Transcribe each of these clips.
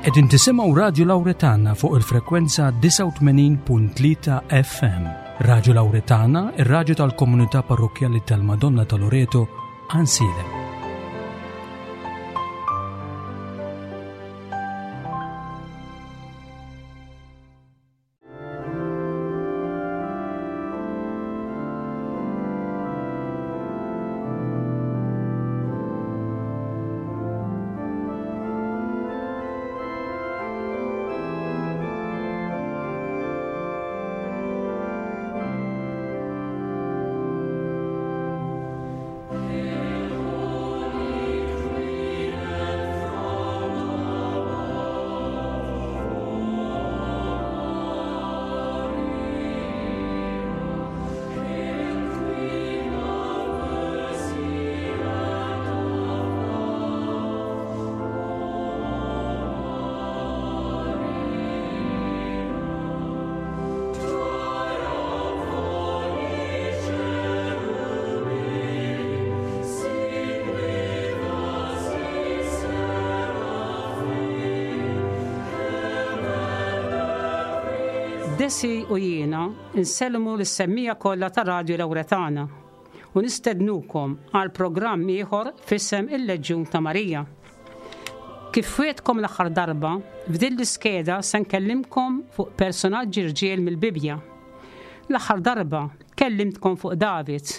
Qegħdin tisimgħu Radju Lawretana fuq il-frekwenza 89.3 FM. Radju Lawretana, ir-radju tal-komunità parrokkjali tal-Madonna ta' Loreto, Ansilem. Desi u jiena nsellmu lis-semmiegħa kollha ta' Radju Lawretana u nistednukom għal programm ieħor f'isem il-Leġjun ta' Marija. Kif wiegħdtkom l-aħħar darba, f'din l-iskeda se nkellimkom fuq personaġġi rġiel mill-Bibbja. L-aħħar darba kellimtkom fuq David.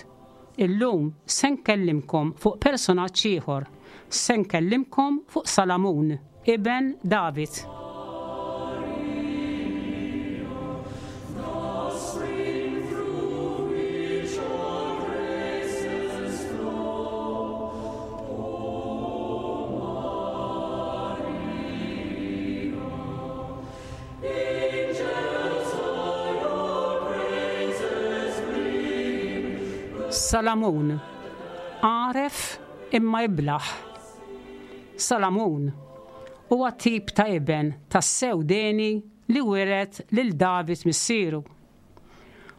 Illum se nkellimkom fuq personaġġ ieħor. Se nkellimkom fuq Salamun, iben David. Salamun, għaref imma iblah. Salamun huwa tip ta' iben tassew deni li wiret lil David missieru.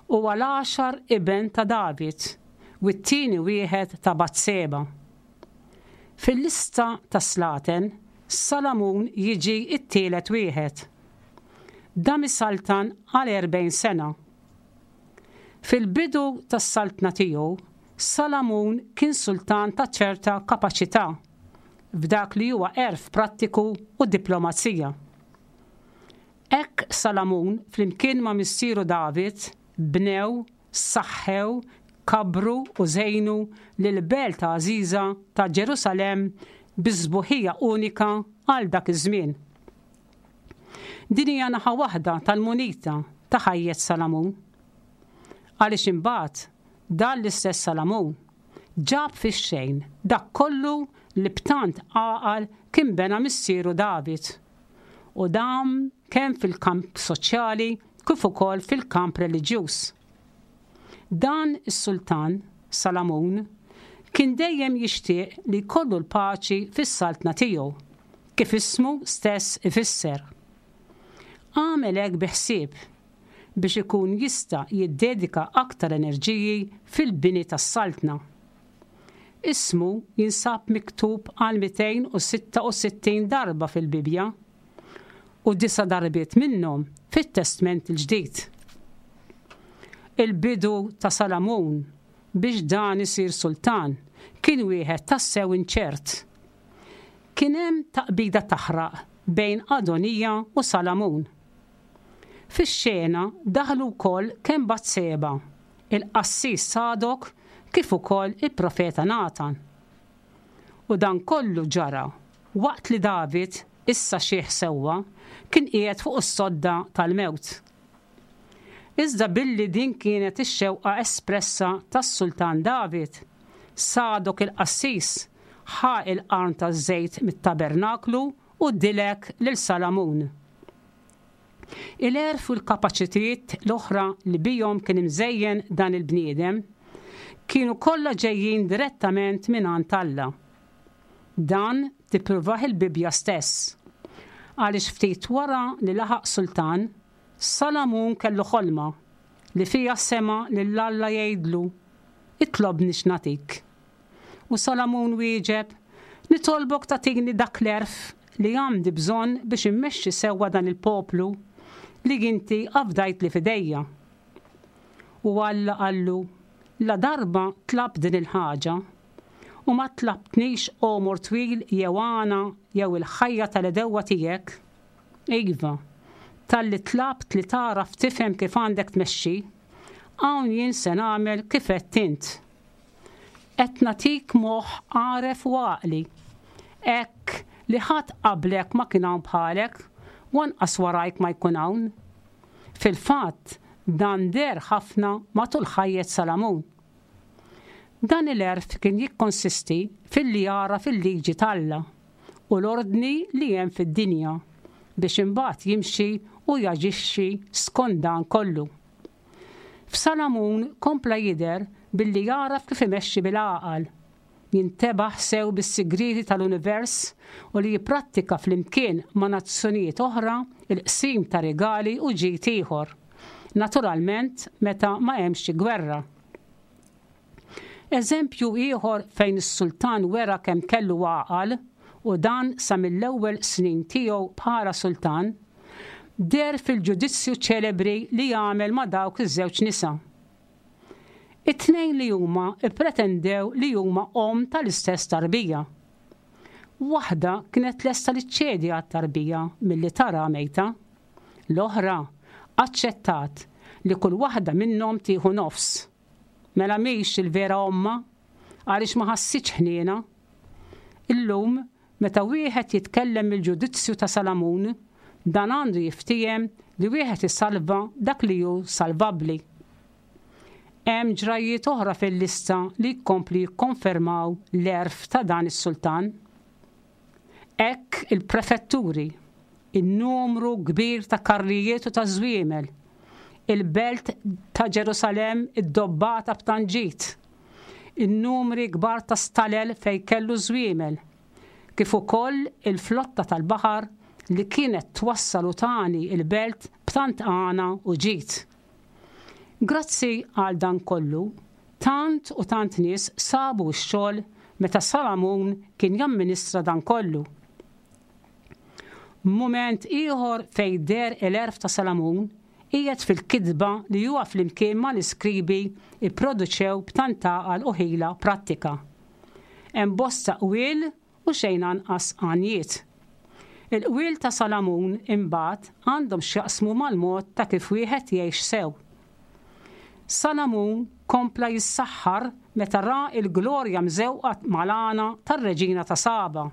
Huwa l-għaxar iben ta' David u t-tieni wieħed ta' Batseba. Fil-lista tas-slaten, Salamun jiġi t-tielet wieħed. Dam isaltan għal 40 sena. Fil-bidu tas-saltna tiegħu, Salamun kien sultan ta' ċerta kapaċità f'dak li huwa għerf prattiku u diplomazija. Hekk Salamun flimkien ma' missieru David bnew saħħew, kabbru u żejnu lill-belt għażiża ta' Ġerusalemm bi sbuħija unika għal dak iż-żmien. Din hija naħa waħda tal-munita ta' ħajjet Salamun. Għaliex imbagħad dan l-istess Salamun ġab fix-xejn dak kollu li b'tant għaqal kien bena missieru David u dam kemm fil-kamp soċjali kif ukoll fil-kamp reliġjuż. Dan is-sultan, Salamun, kien dejjem jixtieq li jkollu l-paċi fis-saltna tiegħu, kif ismu stess ifisser. Għamel hekk bi ħsieb, biex ikun jista' jiddedika aktar enerġiji fil-bini tas-saltna. Ismu jinsab miktub għal 266 darba fil-Bibbja, u disa' darbiet minnhom fit-Testment il-Ġdid. Il-bidu ta' Salamun biex dan isir sultan kien wieħed tassew inċert. Kien hemm taqbida taħraq bejn Adonija u Salamun. Fix-xena daħlu wkoll kemm Batseba, il-qassis Sadok kif ukoll il-profeta Natan. U dan kollu ġara waqt li David, issa xiħ sewwa, kien qiegħed fuq is-sodda tal-mewt. Iżda billi din kienet ix-xewqa espressa tas-sultan David, Sadok il-qassis ħa l-qarn taż-żejt mit-tabernaklu u dilek lil Salamun. Il-għerf u l-kapaċitijiet l-oħra li bihom kien imżejjen dan il-bniedem kienu kollha ġejjin direttament mingħand Alla. Dan tippruvah il-Bibbja stess. Għaliex ftit wara li laħaq sultan, Salamun kellu ħolma li fiha sema' lil Alla jgħidlu, Itlobni x'nagħtik. U Salamun wieġeb, Nitolbok tagħtini dak l-għerf. li għandi bżonn biex immexxi sewwa dan il-poplu li inti afdajtli f'idejja. U Alla qallu, Ladarba tlabt din il-ħaġa, u ma tlabtnix għomor twil jew għana jew il-ħajja tal-għedewwa tiegħek, iva, talli tlabt li tagħraf tifhem kif għandek tmexxi, hawn jien se nagħmel kif għedt int. Qed nagħtik moħħ għaref u għaqli, hekk li ħadd qablek ma kien hawn bħalek, u anqas warajk ma jkun hawn. Fil-fatt, dan deher ħafna matul ħajjet Salamun. Dan il-għerf kien jikkonsisti filli jagħraf il-liġi t'Alla u l-ordni li hemm fid-dinja biex imbagħad jimxi u jaġixxi skont dan kollu. F'Salamun kompla jidher billi jagħraf kif imexxi bil-għaqal, jintebaħ sew bis-sigrieti tal-univers u li jipprattika flimkien ma' nazzjonijiet oħra l-qsim ta' rigali u ġid ieħor, naturalment meta ma hemmx xi gwerra. Eżempju ieħor fejn is-sultan wera kemm kellu għaqal, u dan sa mill-ewwel snin tiegħu bħala sultan, deher fil-ġudizzju ċelebri li għamel ma' dawk iż-żewġ nisa. It-tnejn li huma ppretendew li huma omm tal-istess tarbija. Waħda kienet lesta li ċċedi għat-tarbija milli taraha mejta. L-oħra aċċettat li kull waħda minnhom tieħu nofs. Mela mhix il-vera ommha għaliex ma ħassitx ħniena. Illum, meta wieħed jitkellem mill-ġudizzju ta' Salamun, dan għandu jiftiehem li wieħed isalva dak li hu salvabbli. Hemm ġrajjiet oħra fil-lista li jkomplu jikkonfermaw l-għerf ta' dan is-sultan. Hekk il-prefetturi, in-numru kbir ta' karrijiet u ta' żwiemel, il-belt ta' Ġerusalemm iddobbata b'tant ġid, in-numri kbar ta' stalel fejn kellu ż-żwiemel, kif ukoll il-flotta tal-baħar li kienet twassal u tagħni l-belt b'tant għana u ġid. Grazzi għal dan kollu, tant u tant nies sabu x-xogħol meta Salamun kien jamministra dan kollu. Mument ieħor fejn deher il-għerf ta' Salamun qiegħed fil-kitba li huwa flimkien mal-iskribi pproduċew b'tant għaqal u ħila prattika. Hemm bosta qwiel u xejn anqas għanjiet. Il-qwiel ta' Salamun, imbagħad, għandhom x'jaqsmu mal-mod ta' kif wieħed jgħix sew. Salamun kompla jissaħħar meta ra l-glorja mżewqa mal-għana tar-reġina ta' Saba,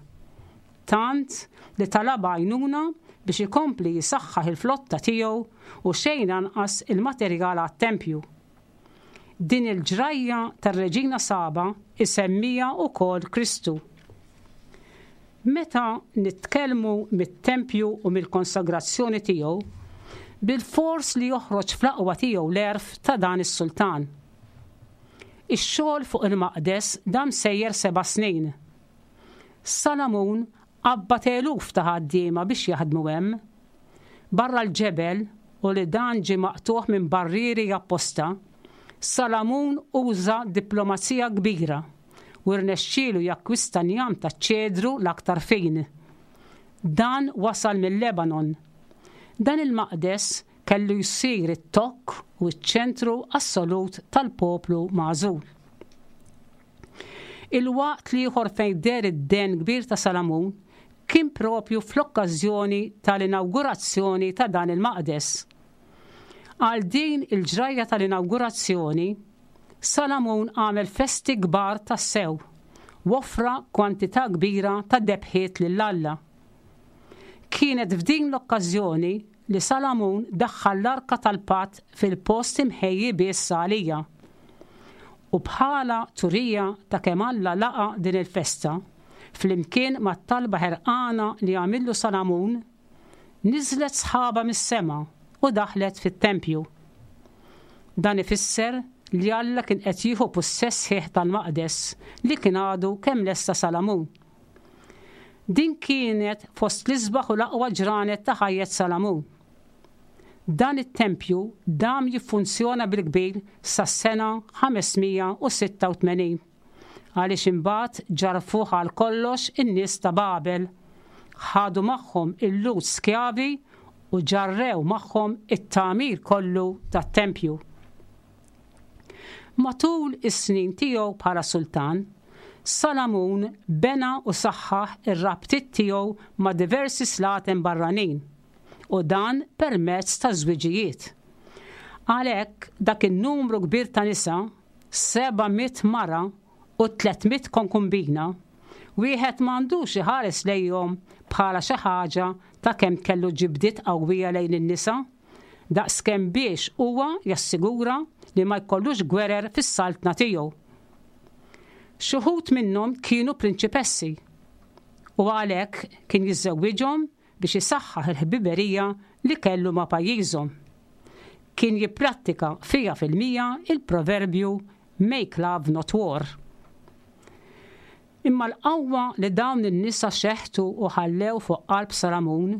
tant li talabha għajnuna biex ikompli jsaħħaħ il-flotta tiegħu u xejn anqas il-materjal għat-tempju. Din il-ġrajja tar-Reġina Saba jsemmiha wkoll Kristu. Meta nitkellmu mit-tempju u mill-konsagrazzjoni tiegħu, bilfors li joħroġ fl-aqwa tiegħu l-għerf ta' dan is-sultan. Ix-xogħol fuq il-maqdes dam sejjer seba' snin. Salamun qabbad eluf ta' ħaddiema biex jaħdmu hemm. Barra l-ġebel u li dan ġie maqtugħ minn barrieri apposta, Salamun uża diplomazija kbira u rnexxielu jakkwista njam taċ-ċedru l-aktar fin. Dan wasal mil-Lebanon. Dan il-maqdes kellu jsir it-tokk u ċ-ċentru assolut tal-poplu magħżul. Il-waqt l-ieħor fejn deher id-dehen kbir ta' Salamun kien propju fl-okkażjoni tal-inawgurazzjoni ta' dan il-maqdes. Għal din il-ġrajja tal-inawgurazzjoni, Salamun għamel festi kbar tassew u offra kwantità kbira ta' debħiet lil Alla. Kienet f'din l-okkażjoni li Salamun daħħal l-Arka tal-Patt fil-post imħejji biss għaliha. U bħala turija ta' kemm Alla laqa' din il-festa, flimkien mat-talba ħerqana li għamillu Salamun, niżlet sħaba mis-sema u daħlet fit-tempju. Dan ifisser li Alla kien qed jieħu pussess sħiħ tal-maqdes li kien għadu kemm lesta Salamun. Din kienet fost l-isbaħ u l-aqwa ġranet ta' ħajjet Salamun. Dan it-tempju dam jiffunzjona bil-kbir sas-sena 586, għaliex imbagħad ġarrfuh għal kollox in-nies ta' Babel. Ħadu magħhom il-Lhud skjavi u ġarrew magħhom it-tagħmir kollu tat-tempju. Matul is-snin tiegħu bħala sultan, Salamun bena u saħħaħ ir-rabtiet tiegħu ma' diversi slaten barranin, u dan permezz ta' żwiġijiet. Għalhekk, dak in-numru kbir ta' nisa, 700 mara u 300 konkumbina, wieħed ma għandux iħares lejhom bħala xi ħaġa ta' kemm kellu ġibdiet qawwija lejn in-nisa, daqskemm biex huwa jassigura li ma jkollux gwerer fis-saltna tiegħu. Xi wħud minnhom kienu prinċipessi, u għalhekk kien jiżżewwiġhom biex isaħħaħ il-ħbiberija li kellu ma' pajjiżhom. Kien jipprattika 100% il-proverbju make love not war. Imma l-qawwa li dawn in-nisa xeħtu u ħallew fuq qalb Salamun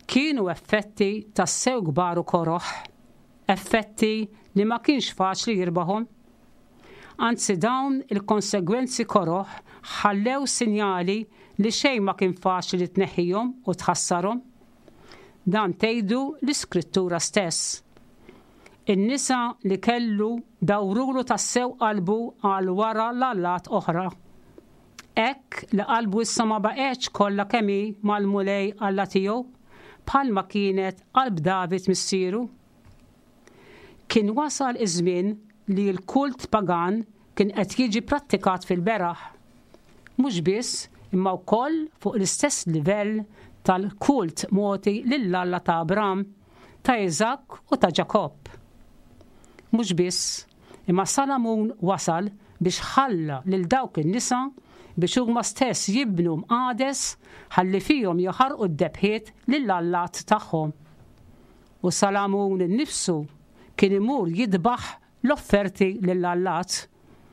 kienu effetti tassew kbar u koroh, effetti li ma kienx faċli jirbaħhom. Anzi dawn il-konsegwenzi koroh ħallew sinjali li xejn ma kien faċli li tneħħihom u tħassarhom. Dan tgħidu l-Iskrittura stess. In-nisa li kellu dawrulu tassew qalbu għal wara l-allat oħra. Hekk li qalbu issa ma baqgħetx kollha kemm hi mal-Mulej Alla tiegħu, bħalma kienet qalb David missieru. Kien wasal iż-żmien li l-kult pagan kien qed jiġi prattikat fil-beraħ. Mhux biss, imma wkoll fuq l-istess livell tal-kult mogħti lill-Alla ta' Abram, ta' Iżakk u ta' Ġakobb. Mhux biss, imma Salamun wasal biex ħalla lil dawk in-nisa biex huma stess jibnu mqades ħalli fihom jaħarqu d-debħiet lill-allat tagħhom. U Salamun innifsu kien imur jidbaħ l-offerti lill-allat.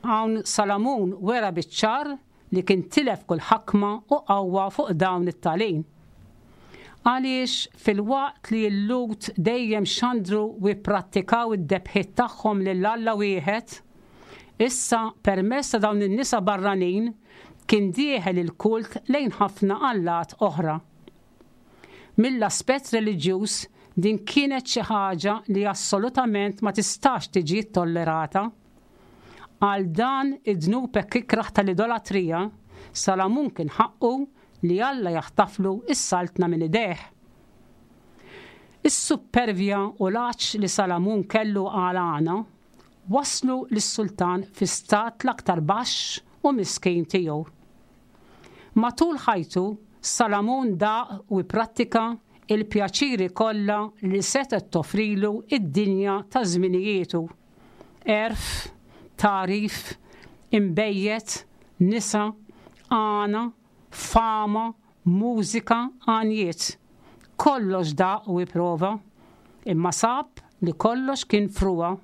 Hawn Salamun wera biċ-ċar li kien tilef kull ħakma u qawwa fuq dawn it-tagħlim. Għaliex filwaqt li l-Lhud dejjem xandru u pprattikaw id-debħiet tagħhom lil Alla wieħed, issa permezz ta' dawn in-nisa barranin kien dieħel il-kult lejn ħafna allat oħra. Mill-aspett reliġjuż din kienet xi ħaġa li assolutament ma tistax tiġi ttollerata. Għal dan id-dnub hekk ikrah tal-idolatrija, Salamun kien ħaqqu li Alla jaħtaflu s-saltna minn idejh. Is-suppervja u l-għatx li Salamun kellu għal għana wasslu lis-sultan fi stat l-aktar baxx u miskin tiegħu. Matul ħajtu, Salamun daq u ipprattika l-pjaċiri kollha li setgħet toffrilu d-dinja ta' żminijietu, għerf, tagħrif, inbejjed, nisa, għana, fama, mużika, għanjiet. Kollox daq u ipprova, imma sab li kollox kien frugħa.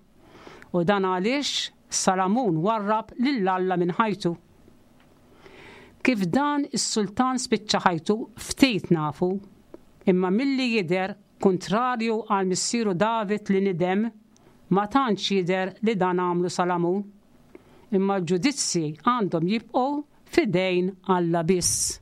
U dan għaliex Salamun warrab lil Alla minn ħajtu. Kif dan is-sultan spiċċa ħajtu ftit nafu, imma milli jidher, kuntrarju għal missieru David li nidem, ma tantx jidher li dan għamlu Salamun. Imma l-ġudizzji għandhom jibqgħu f'idejn Alla biss.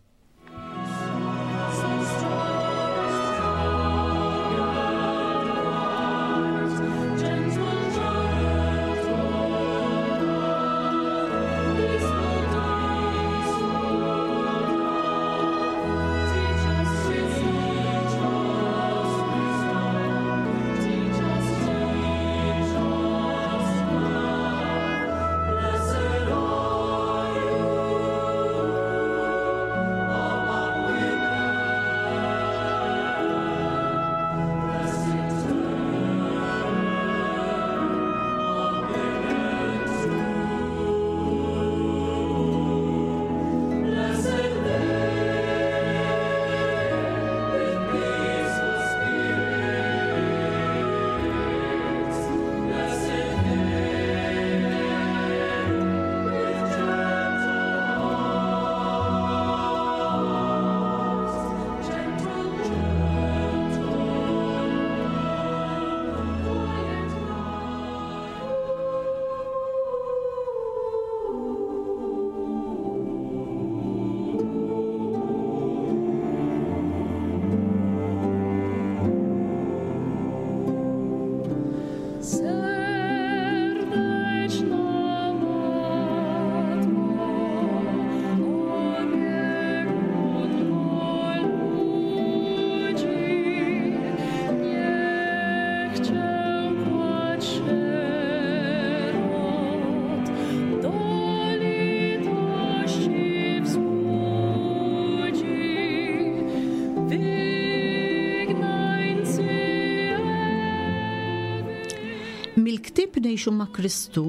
Ngħixu ma' Kristu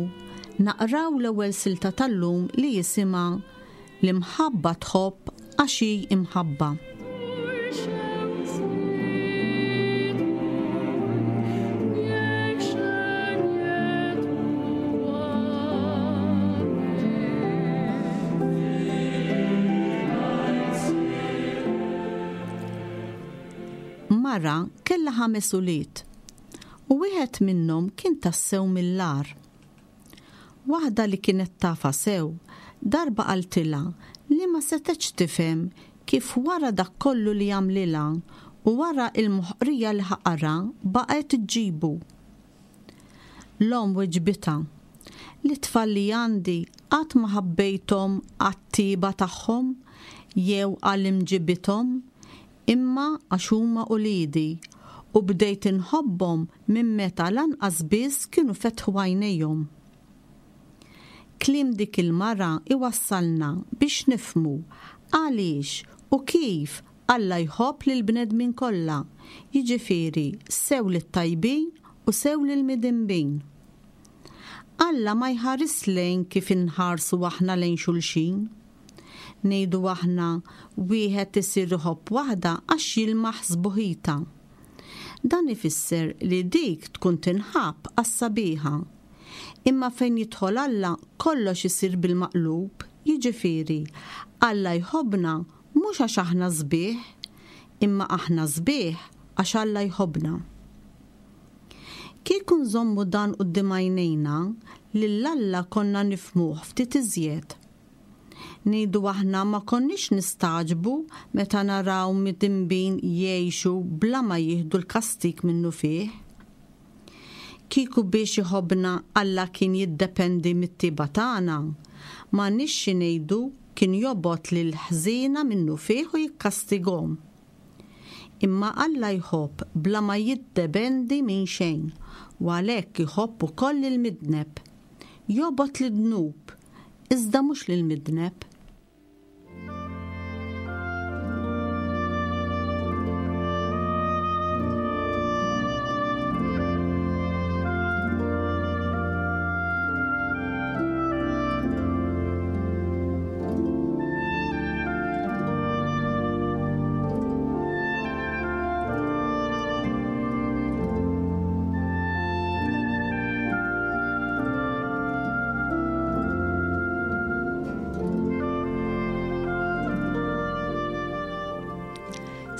naqraw l-ewwel silta tal-lum li jisimha L-imħabba tħobb għax hi imħabba. Mara kellha ħames ulied u wieħed minnhom kien tassew mill-agħar. Waħda li kienet tafha sew, darba qaltilha li ma setgħetx tifhem kif wara dak kollu li għamlilha u wara l-moħqrija li ħaqarha baqgħet iġġibu. L-omm weġbitha, Lit-tfal li għandi qatt ma ħabbejthom għat-tjieba tagħhom jew għal imġibithom, imma għax huma uliedi, u bdejt inħobbhom minn meta lanqas biss kienu fetħu għajnejhom. Kliem dik il-mara iwassalna biex nifhmu għaliex u kif Alla jħobb lill-bnedmin kollha, jiġifieri sew lit-tajbin u sew lill-midinbin. Alla ma jħarisx lejn kif inħarsu aħna lejn xulxin. Ngħidu aħna, wieħed isir iħobb waħda għax jilmaħ sbuħitha. Dan ifisser li dik tkun tinħabb għas-sabiħa. Imma fejn jidħol Alla kollox isir bil-maqlub, jiġifieri, Alla jħobbna mhux għax aħna sbieħ, imma aħna sbieħ għax Alla jħobbna. Kieku nżommu dan quddiem għajnejna, lil Alla konna nifhmuh ftit iżjed. Ngħidu aħna ma konniex nistagħġbu meta naraw midinbin jgħixu bla ma jieħdu l-kastig minnufih. Kieku biex iħobbna Alla kien jiddependi mit-tjieba tagħna, m'għandniex xi ngħidu kien jobgħod lill-ħżiena minnufih u jikkastighom. Imma Alla jħobb bla ma jiddependi minn xejn u għalhekk iħobb ukoll lill-midneb. Jobgħod lid-dnub, iżda mhux lill-midneb.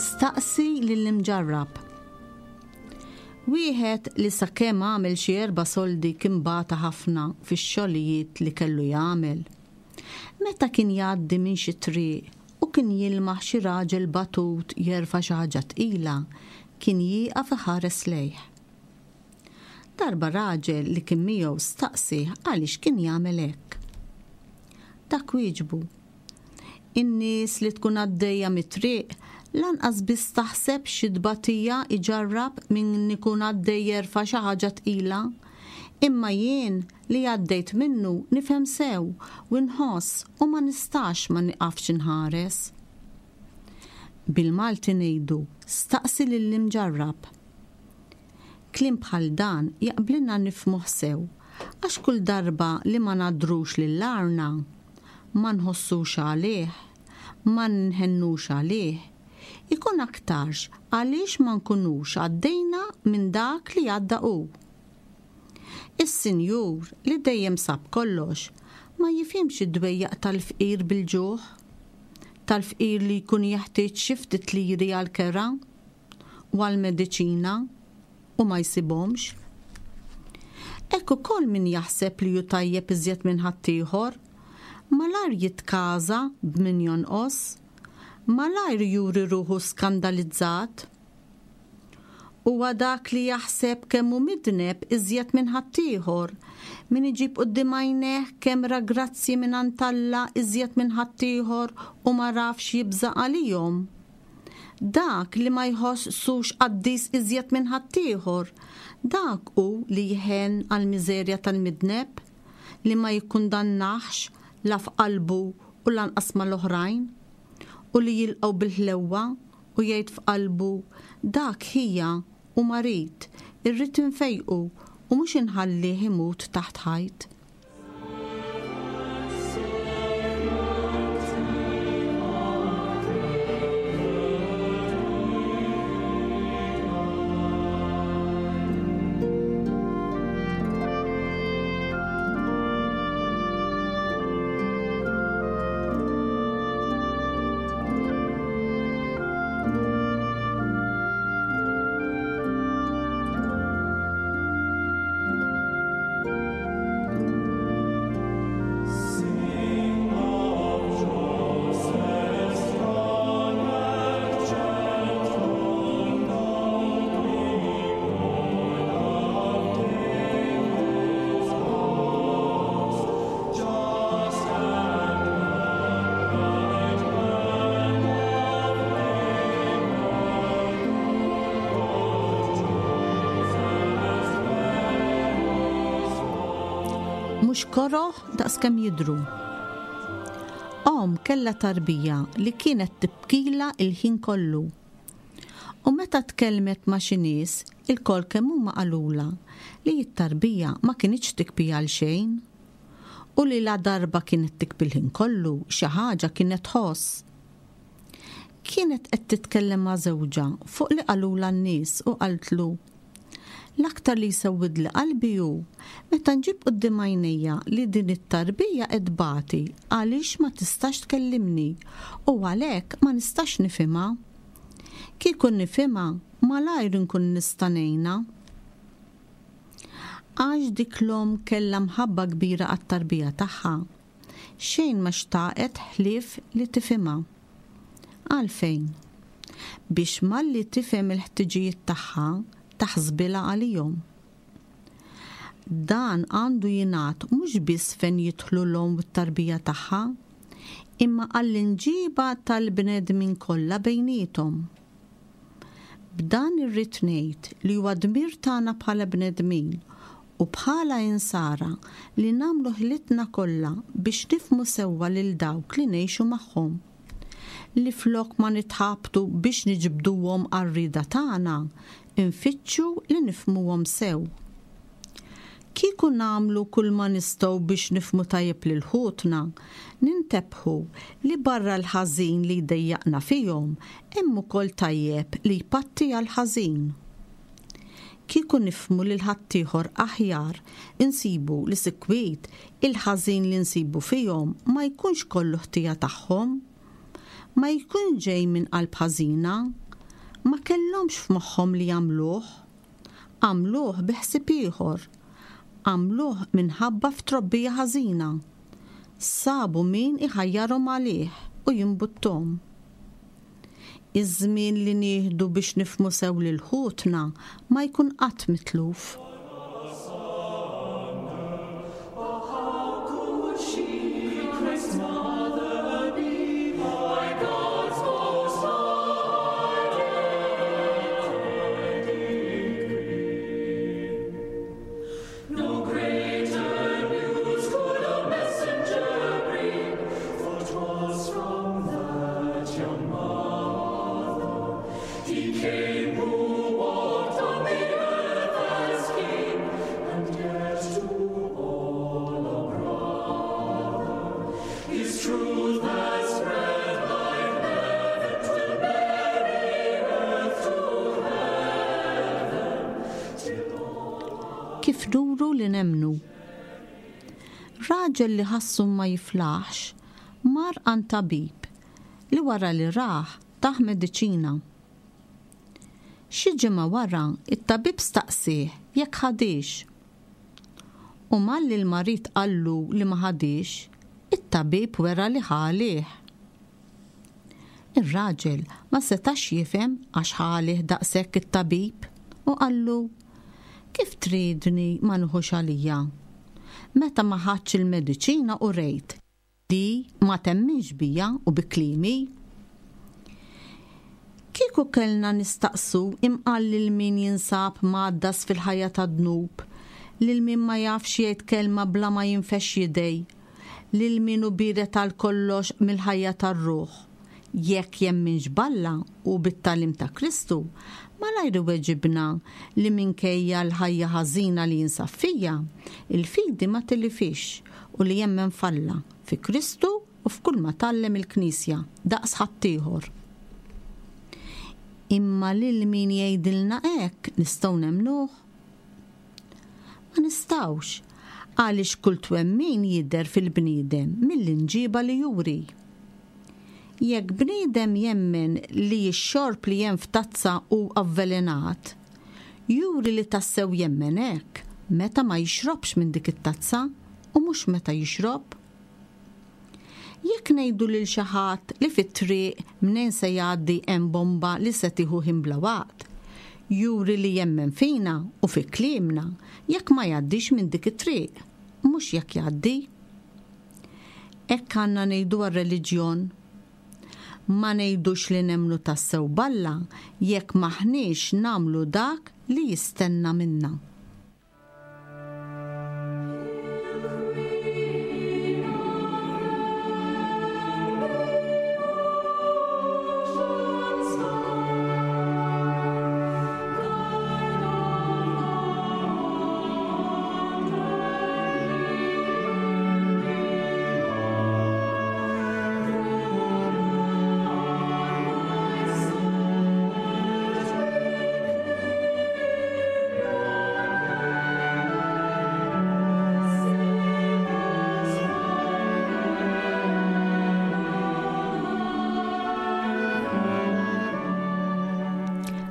Staqsi lill-imġarrab. Wieħed li sakemm għamel xi erba' soldi kien bata ħafna fix-xogħlijiet li kellu jagħmel. Meta kien jgħaddi minn xi triq u kien jilmaħ xi raġel batut jerfa' xi ħaġa tqila, kien jieqaf iħares lejh. Darba raġel li kien miegħu staqsieh għaliex kien jagħmel hekk. Dak wieġbu, In-nies li tkun għaddejja mit-triq lanqas biss taħseb xi tbatija jġarrab min ikun għaddej jerfa' xi ħaġa tqila. Imma jien li għaddejt minnu nifhem sew u nħoss u ma nistax ma nieqafx inħares. Bil-Malti ngħidu staqsi lill-imġarrab. Kliem bħal dan jaqblilna nifhmuh sew għax kull darba li ma ngħaddrux lil għarna, ma nħossux għalih, ma nħennux għalih, ikun aktarx għaliex ma nkunux għaddejna minn dak li għadda hu. Is-sinjur, li dejjem sab kollox, ma jifhimx id-dwejjaq tal-fqir bil-ġuħ, tal-fqir li jkun jeħtieġ xi ftit liri għall-kera u għall-mediċina u ma jsibhomx. Hekk ukoll min jaħseb li hu tajjeb iżjed minn ħaddieħor, malajr jitkaża b'min jonqos, malajr juri ruħu skandalizzat. Huwa dak li jaħseb kemm hu midneb iżjed minn ħaddieħor, min iġib quddiem għajnejh kemm ra grazzji mingħand Alla iżjed minn ħaddieħor u m'għarafx jibża' għalihom. Dak li ma jħossux qaddis iżjed minn ħaddieħor, dak hu li jħenn għall-miżerja tal-midneb, li ma jikkundannahx la f'qalbu u lanqas mal-oħrajn, u li jilqgħu bil-ħlewwa u jgħid f'qalbu, Dak ħija u marid, irrid infejqu. u mhux inħallih imut taħt ħajt. Mhux koroh daqskemm jidhru. Omm kellha tarbija li kienet tibkilha l-ħin kollu. U meta tkellmet ma' xi nies, ilkoll kemm huma qalulha li t-tarbija ma kinitx tikbi għal xejn. U li ladarba kienet tikbi l-ħin kollu, xi ħaġa kienet tħoss. Kienet qed titkellem ma' żewġha fuq li qalulha n-nies u qaltlu, L-aktar li jsewwidli qalbi hu meta nġib quddiem għajnejja li din it-tarbija qed tbati għaliex ma tistax tkellimni u għalhekk ma nistax nifhimha. Kieku nifhimha, malajr inkun nista' ngħinha. Għax dik l-omm kellha mħabba kbira għat-tarbija tagħha, xejn ma xtaqet ħlief li tifhimha. Għalfejn? Biex malli tifhem il-ħtiġijiet tagħha, taħsbilha għalihom. Dan għandu jingħad mhux biss fejn jidħlu l-omm u t-tarbija tagħha, imma għall-imġiba tal-bnedmin kollha bejniethom. B'dan irrid ngħid li huwa dmir tagħna bħala bnedmin u bħala Insara li nagħmlu ħilitna kollha biex nifhmu sewwa lil dawk li ngħixu magħhom. Li flok ma nitħabtu biex niġbduhom għar-rieda tagħna, infittxu li nifhmuhom sew. Kieku nagħmlu kulma nistgħu biex nifhmu tajjeb lil ħutna, nintebħu li barra l-ħażin li jdejjaqna fihom, hemm ukoll tajjeb li jpatti għall-ħażin. Kieku nifhmu lil ħaddieħor aħjar, insibu li sikwit il-ħażin li nsibu fihom ma jkunx kollu ħtija tagħhom. Ma jkunx ġej minn qalb ħażina. Ma kellhomx f'moħħhom li jagħmluh. Għamluh bi ħsieb ieħor. Għamluh minħabba f'trobbija ħażina. Sabu min iħajjarhom għalih u jimbutthom. Iż-żmien li nieħdu biex nifhmu sew lil ħutna ma jkun qatt mitluf. No greater news could a messenger bring, for 'twas from that young mother he came who walked on the earth as king, and yet to all a brother. His truth has spread like heaven 'twin Mary earth to heaven, till all Kif nuru li nemmnu. Raġel li ħassu ma jiflaħx mar għand tabib li wara li rah tah mediċina. Xi ġimgħa wara t-tabib staqsieh jekk ħadhiex. U malli l-marid qallu li ma ħadhiex, it-tabib wera li ħa għalih. Ir-raġel ma setax jifhem għax ħa għalih daqshekk it-tabib u qallu, Kif tridni ma nieħux għalija? Meta ma ħadtx il-mediċina urejt li ma temminx bija u bi kliemi. Kieku kellna nistaqsu imqar lil min jinsab mgħaddas fil-ħajja tad-dnub, lil min ma jafx jgħid kelma bla ma jinfexx jidej, lil min hu biered għal kollox mill-ħajja tar-ruħ. jekk jemminx b'Alla u bit-tagħlim ta' Kristu, malajr iweġibna li minkejja l-ħajja ħażina li jinsab fija, il-fidi ma tilifhiex u li jemmen f'Alla, fi Kristu u f'kulma tgħallem il-Knisja, daqs ħaddieħor. Imma lil min jgħidilna hekk nistgħu nemmnuh? Ma nistgħux, għaliex kull twemmin jidher fil-bniedem mill-imġiba li juri. Jekk bniedem jemmen li x-xorb li hemm f'tazza hu avvelenat, juri li tassew jemmen hekk meta ma jixrobx minn dik it-tazza u mhux meta jixrob. Jekk ngħidu lil xi ħadd li fit-triq mnejn se jgħaddi hemm bomba li se tieħu ħin bla waqt, juri li jemmen fina u fi kliemna jekk ma jgħaddix minn dik it-triq, mhux jekk jgħaddi. Hekk għandna ngħidu għar-reliġjon. Ma ngħidux li nemmnu tassew b'Alla jekk m'aħniex nagħmlu dak li jistenna minna.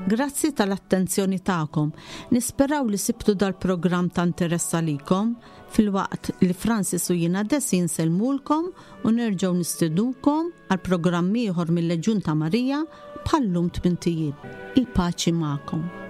Grazzi tal-attenzjoni tagħkom. Nisperaw li sibtu dal-programm ta' interess għalikom filwaqt li Francis u jiena Desi nsellmulkom u nerġgħu nistidukom għal programm ieħor mill-Leġjun ta' Marija bħal-lum tmint ijiem. Il-paċi magħkom.